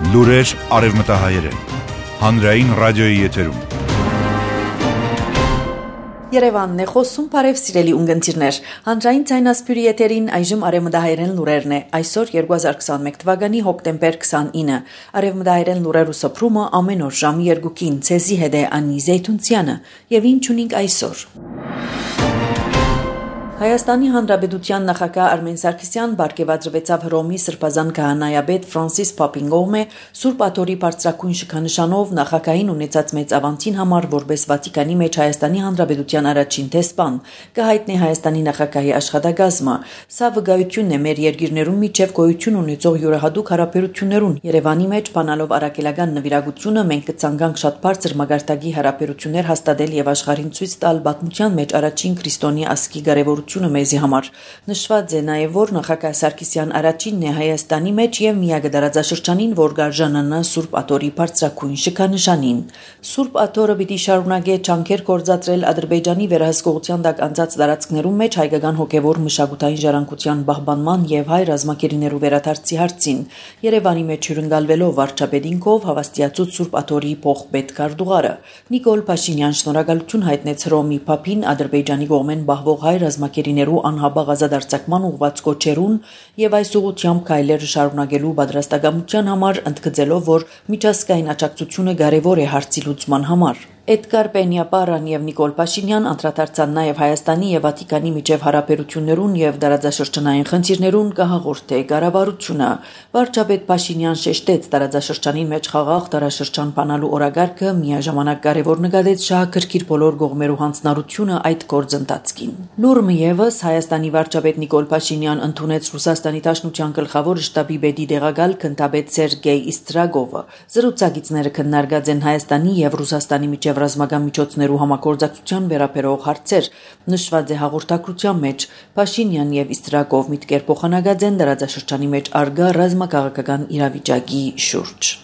Լուրեր արևմտահայերեն։ Հանրային ռադիոյի եթերում։ Երևանն է խոսում, բարև սիրելի ունգընտիրներ։ Հանրային ցայնասպյուրի եթերին այժմ արևմտահայերեն լուրերն է։ Այսօր 2021 թվականի հոկտեմբեր 29։ Արևմտահայերեն լուրերու սփռումը ամեն օր ժամի 2-ին ցեզի հետ է Անի Զեյթունցյանը, եւ ինչ ունենք այսօր։ Հայաստանի Հանրապետության նախագահ Արմեն Սարգսյան բարգեւադրվեցավ Հռոմի Սրբազան քահանայապետ Ֆրանսիս Պապին կողմէ Սուրբ Աթոռի բարձրակույն շքանշանով նախագահին ունեցած մեծ ավանդին համար որպես Վատիկանի մեջ Հայաստանի Հանրապետության առաջին դեսպան կհայտնի Հայաստանի նախագահի աշխատակազմը։ Սա վկայությունն է մեր երկիրներում միջև գոյություն ունեցող յուրահատուկ հարաբերություններուն։ Երևանի մեջ բանալով առաքելական նվիրագությունը մենք կցանկանք շատ բարձր մագարտակի հարաբերություններ հաստատել եւ աշխարհին ցույց տալ պատմության մեջ առաջին քրիստոնյա ասկի կարևորությունը մեզի համար։ Նշված է նաև, որ նախագահ Սարգսյան առաջինն է Հայաստանի մեջ եւ միակ դարաձաշրջանին, որ գարժանանա Սուրբ Աթոռի բարձրակույն շքանշանին։ Սուրբ Աթոռը պիտի շարունակե ջանքեր գործադրել Ադրբեջանի վերահսկողության տակ անցած տարածքներում մեջ հայկական հոգևոր մշակութային ժառանգության պահպանման եւ հայ ռազմակերիներու վերադարձի հարցին։ Երևանի մեջ հյուրընկալվելով վարչապետինքով հավաստիացուց Սուրբ Աթոռի փոխպետ Կարդուղարը Նիկոլ Փաշինյան շնորհակալություն հայտնեց Հռոմի Փապին Ադրբեջանի կողմեն բահվող հայ ռազմակերիներու անհաբաղ ազատարձակման ուղղված կոչերուն եւ այս ուղղությամբ քայլերը շարունակելու պատրաստակամության համար ընդգծելով, որ միջազգային աջակցությունը կարեւոր է հարցի լուծման համար։ Էդգար Պենյապարան եւ Նիկոլ Փաշինյան անդրադարձան նաեւ Հայաստանի եւ Վատիկանի միջև հարաբերություններուն եւ դարաձաշրջանային խնդիրներուն կհաղորդե կառավարությունը։ Վարչապետ Փաշինյան շեշտեց դարաձաշրջանին մեջ խաղաղ դարաշրջան բանալու օրակարգը միաժամանակ կարեւոր նկատեց շահագրգիռ բոլոր կողմերու հանձնառությունը այդ գործընթացին։ Նուրմը եւս Հայաստանի վարչապետ Նիկոլ Փաշինյան ընդունեց Ռուսաստանի Դաշնության գլխավոր շտաբի պետի դեղակալ քննադատ Սերգեյ Իստրագովը։ Զրուցակիցները քննարկած են Հայաստանի եւ Ռուսաստանի միջև ռազմական միջոցներու համագործակցության վերաբերող հարցեր։ Նշված է հաղորդակցության մեջ Փաշինյան եւ Իստրագով միտքեր փոխանակած են դարաձաշրջանի մեջ արգա ռազմաքաղաքական իրավիճակի շուրջ։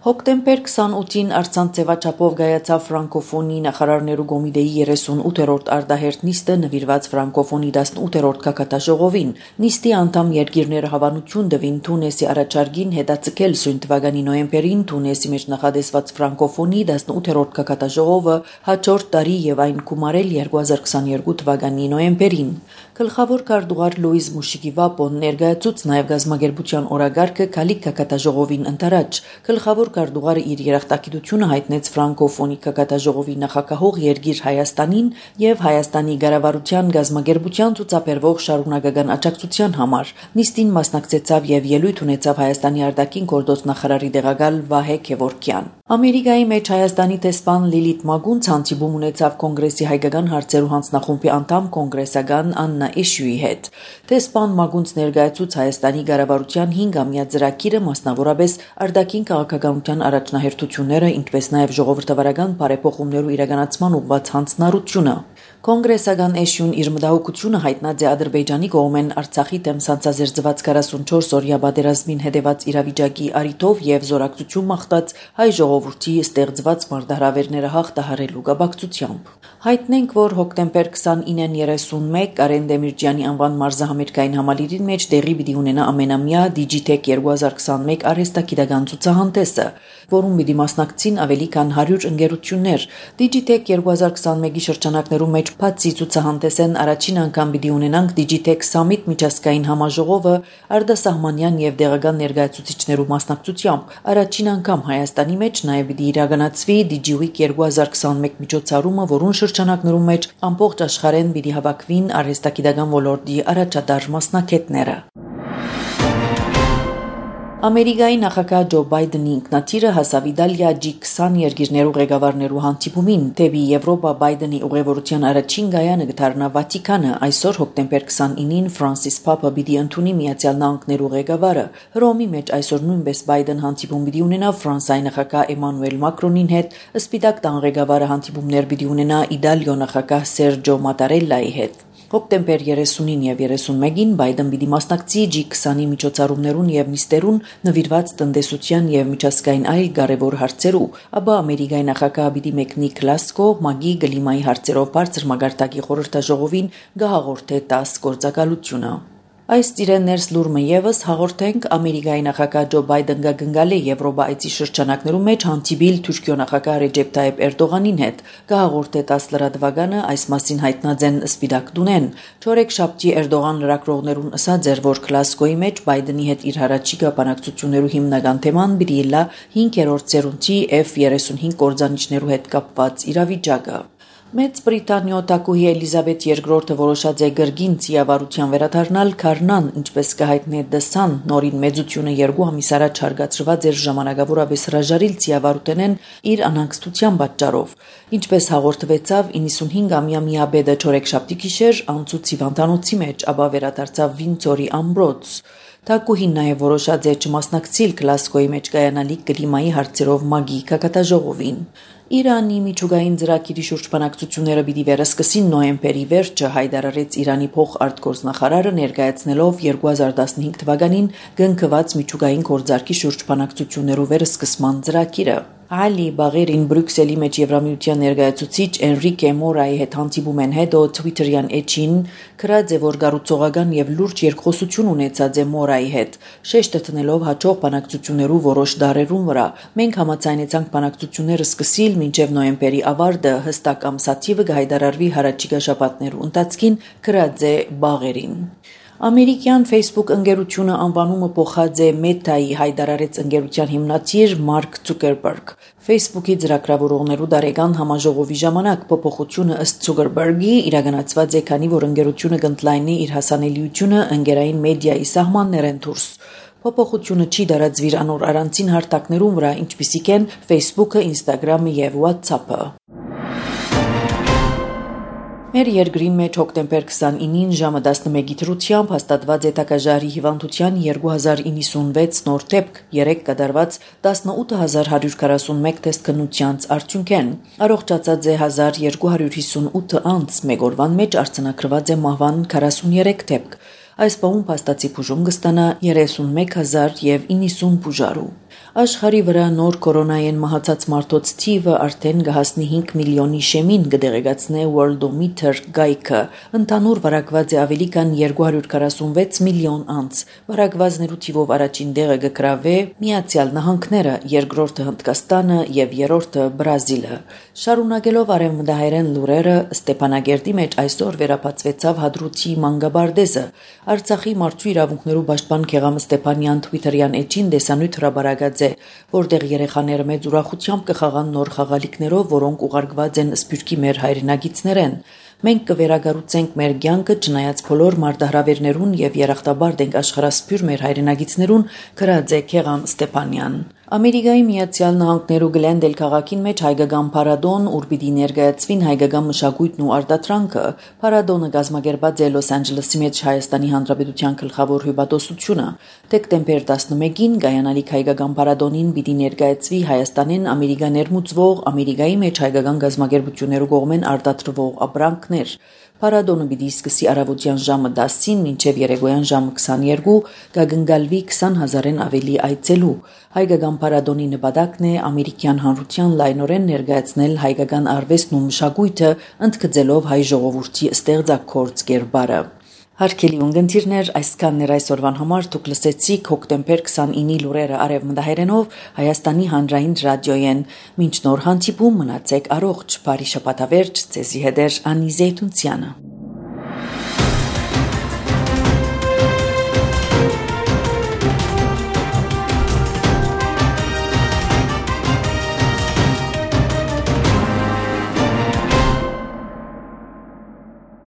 Հոկտեմբեր 28-ին Արցանց ձևաչափով կայացավ ֆրանկոֆոնի նախարարներու կոմիտեի 38-րդ արտահերթ նիստը նվիրված ֆրանկոֆոնի 18-րդ գագաթաժողովին։ Նիստի անդամ երկիրները հավանություն տվին Թունեսի առաջարկին հետաձգել սույն թվականի նոյեմբերին Թունեսի մեջ նախադեсված ֆրանկոֆոնի 18-րդ գագաթաժողովը հաջորդ տարի եւ այն գումարել 2022 թվականի նոյեմբերին։ Գլխավոր քարտուղար Լուիզ Մուշիկիվապոն ներկայացուց նաեւ գազագերբության օրակարգը քալիք գագաթաժողովին ընտրած գլխավոր Կարդուղարը իր երախտագիտությունը հայտնեց ֆրանկոֆոնի գագաթաժողովի նախագահող երկիր Հայաստանին եւ Հայաստանի կառավարության գազագերբության ցուցաբերվող շարունակական աջակցության համար։ Նիստին մասնակցեցավ եւ ելույթ ունեցավ Հայաստանի արտաքին գործոց նախարարի դեղակալ Վահե Քևորքյան։ Ամերիկայի մեջ Հայաստանի դեսպան Լիլիթ Մագունց հանդիպում ունեցավ կոնգրեսի հայկական հարցերու հանձնախումբի անդամ կոնգրեսական Աննա Էշյուի հետ։ Դեսպան Մագունց ներկայացուց Հայաստանի կառավարության 5-ամյա ծրագիրը, մասնավորապես արտաքին քաղաքականության առաջնահերթությունները, ինչպես նաև ժողովրդավարական բարեփոխումներու իրականացման ուղղված հանձնառությունը։ Կոնգրեսական Էշյուն իր մտահոգությունը հայտնած է Ադրբեջանի կողմեն Արցախի դեմ սանձազերծված 44 օրյա պատերազմին հետևած իրավիճակի առիթով եւ զորակցություն մաղթած հայ ժողովրդի ստեղծված մարտահրավերները հաղթահարելու կապակցությամբ։ Հայտնենք, որ հոկտեմբեր 29-ին 31 Կարեն Դեմիրճյանի անվան մարզահամերգային համալիրին մեջ տեղի պիտի ունենա ամենամյա Digitech 2021 արհեստագիտական ցուցահանդեսը, որում պիտի մասնակցին ավելի քան 100 ընկերություններ։ Digitech 2021-ի շրջանակներում մեջ բացի ցուցահանդեսեն առաջին անգամ պիտի ունենանք Digitech Summit միջազգային համաժողովը արտասահմանյան եւ դեղական ներկայացուցիչներու մասնակցությամբ։ Առաջին անգամ Հայաստանի մեջ նաեւ պիտի իրականացվի DigiWeek 2021 միջոցառումը, որուն շրջանակներում մեջ ամբողջ աշխարհեն պիտի հավաքվին արհեստագիտական ոլորտի առաջատար մասնակիցները։ Ամերիկայի նախագահ Ջո Բայդենի ինքնաթիռը հասավ Իտալիա G20 երկիրներու ղեկավարներու հանդիպումին։ Դեպի Եվրոպա Բայդենի ուղևորության առաջին գայանը կդառնա Վատիկանը։ Այսօր հոկտեմբեր 29-ին Ֆրանսիս Պապը պիտի ընդունի Միացյալ Նահանգներու ղեկավարը։ Հռոմի մեջ այսօր նույնպես Բայդեն հանդիպում պիտի ունենա Ֆրանսիայի նախագահ Էմանուել Մակրոնին հետ, Սպիտակ տան ղեկավարը հանդիպումներ պիտի ունենա Իտալիո նախագահ Սերջո Մատարելլայի հետ։ Հոկտեմբեր 30-ին եւ 31-ին Բայդեն պիտի մասնակցի G20-ի միջոցառումներուն եւ նիստերուն նվիրված տնտեսության եւ միջազգային այլ կարեւոր հարցերու, ապա Ամերիկայի նախագահը պիտի մեկնի Գլասգո մագի գլիմայի հարցերով բարձր մագարտակի խորհրդաժողովին գահաղորդե 10 գործակալությունը։ Այս ծիրեններս լուրմը եւս հաղորդենք Ամերիկայի նախագահ Ջո Բայդեն գնգալ է Եվրոպա այցի շրջանակներում մեջ հանդիպիլ Թուրքիո նախագահ Ռեջեփ Թայիփ Էրդողանին հետ։ Գահաղորդ է 10 լրատվականը այս մասին հայտնածեն Սպիտակ դունեն։ Չորեքշաբթի Էրդողան լրագրողներուն ասաց էր, որ Գլասգոյի մեջ Բայդենի հետ իր հարաճիգա բանակցություններու հիմնական թեման բիլա 5-րդ սերունդի F-35 կորձանիչներու հետ կապված իրավիճակը։ Մեծ Բրիտանիո տակուհի Էլիզաբեթ II որոշած է գրգին ծիավարության վերադառնալ Քարնան, ինչպես կհայտնի դասան նորին մեծությունը 2 ամիս առաջ հարգացրված էր ժամանակավորապես հրաժարիլ ծիավարութենեն իր անհանգստության պատճառով։ Ինչպես հաղորդվեցավ 95-ամյա միաբեդը չորեքշաբթի գիշեր անցուց հիվանդանոցի մեջ, ապա վերադարձավ Վինձորի ամբրոց։ Տակուհին նաև որոշած է չմասնակցիլ Գլասգոյի մեջ կայանալիք կլիմայի հարցերով մագի կակատաժողովին։ Իրանի միջուկային ծրագիրի շուրջ բանակցությունները պիտի վերսկսին նոյեմբերի վերջը հայտարարեց Իրանի փոխարտգործնախարարը ներկայացնելով 2015 թվականին գնկված միջուկային գործարքի շուրջ բանակցություններու վերսկսման ծրագիրը։ Ալի Բաղերին Բրյուսելի մեջ Եվրամիության ներկայացուցիչ Էնրիկե Մորայի հետ հանդիպում են հետո Twitter-յան էջին գրած է, որ գառուցողական եւ լուրջ երկխոսություն ունեցած է Մորայի հետ, շեշտը տնելով հաջող բանակցություններու որոշ դարերուն վրա։ Մենք համաձայնեցանք բանակցությունները սկսիլ մինչև նոյեմբերի ավարտը, հստակ ամսաթիվը կհայտարարվի հարաճիգա շաբաթներու ընթացքին, գրած է Բաղերին։ Ամերիկյան Facebook ընկերությունը անվանումը փոխած է Meta-ի, հայտարարեց ընկերության հիմնադիր Մարկ Ցուկերբերգ։ Facebook-ի ծրագրավորողներու դարեգան համաժողովի ժամանակ փոփոխությունը ըստ Ցուկերբերգի իրականացված է, քանի որ ընկերությունը կընդլայնի իր հասանելիությունը ընկերային մեդիայի սահմաններեն դուրս։ Փոփոխությունը չի դարածվիր անոր առանցին հարթակներուն վրա, ինչպիսիք են Facebook-ը, Instagram-ը եւ WhatsApp-ը։ Մեր երկրի մեջ հոկտեմբեր 29-ին ժամը 11-ի դրությամբ հաստատված է տակաժարի հիվանդության 2096 նոր դեպք, 3 կատարված 18141 տեստ քննությանց արդյունքեն։ Առողջացած է 1258 անձ, մեկ օրվան մեջ արձանագրված է մահվան 43 դեպք։ Այս բանում փաստացի բուժում կստանա 31090 բուժարու։ Աշխարհի վրա նոր կորոնայեն մահացած մարդոց թիվը արդեն կհասնի 5 միլիոնի շեմին, կդեղեկացնե Worldometer գայքը։ Ընդհանուր վարակված է ավելի քան 246 միլիոն անձ։ Վարակվածներու թիվով առաջին տեղը կգրավե Միացյալ Նահանգները, երկրորդը Հնդկաստանը եւ երրորդը Բրազիլը։ Շարունակելով արևմտահայերեն լուրերը, Ստեփանագերդի մեջ այսօր վերապացվեցավ Հադրութի մանկաբարձը։ Արցախի մարդու իրավունքներու պաշտպան Քեղամ Ստեփանյան Twitter-յան էջին դեսանույթ հրաբարակած է, որտեղ երեխաները մեծ ուրախությամբ կխաղան նոր խաղալիքներով, որոնք ուղարկված են Սփյուռքի մեր հայրենագիտներեն։ Մենք կվերագառուցենք մեր կյանքը չնայած բոլոր մարտահրավերներուն եւ երախտաբար դենք աշխարհասփյուր մեր հայրենագիտներուն, գրած է Քեղամ Ստեփանյան։ Ամերիկայի Միացյալ Նահանգներու Գլենդել քաղաքին մեջ հայկական փառատոն, ուր պիտի ներկայացվին հայկական մշակույթն ու արտադրանքը։ Փառատոնը կազմակերպած է Լոս Անջելեսի մեջ Հայաստանի Հանրապետության գլխավոր հյուպատոսությունը։ Դեկտեմբեր 11-ին կայանալիք հայկական փառատոնին պիտի ներկայացվի Հայաստանեն Ամերիկա ներմուծվող Ամերիկայի մեջ հայկական գազམ་ագերբություններու կողմեն արտադրվող ապրանքներ։ Փառատոնը պիտի սկսի առավոտյան ժամը 10-ին մինչև երեկոյան ժամը 22, կգնգալվի 20,000-ն ավելի այցելու։ Հայկական փառատոնի նպատակն է ամերիկյան հանրության լայնորեն ներկայացնել հայկական արվեստն ու մշակույթը, ընդգծելով հայ ժողովրդի ստեղծագործ կերպարը։ Հարգելի ունգընտիրներ, այսքանն էր այսօրվան համար, դուք լսեցիք հոկտեմբեր 29-ի լուրերը արևմտահայերենով Հայաստանի հանրային ռադիոյեն։ Մինչ նոր հանդիպում մնացեք առողջ, բարի շաբաթավերջ, ձեզի հետ Անի Զեյթունցյանը։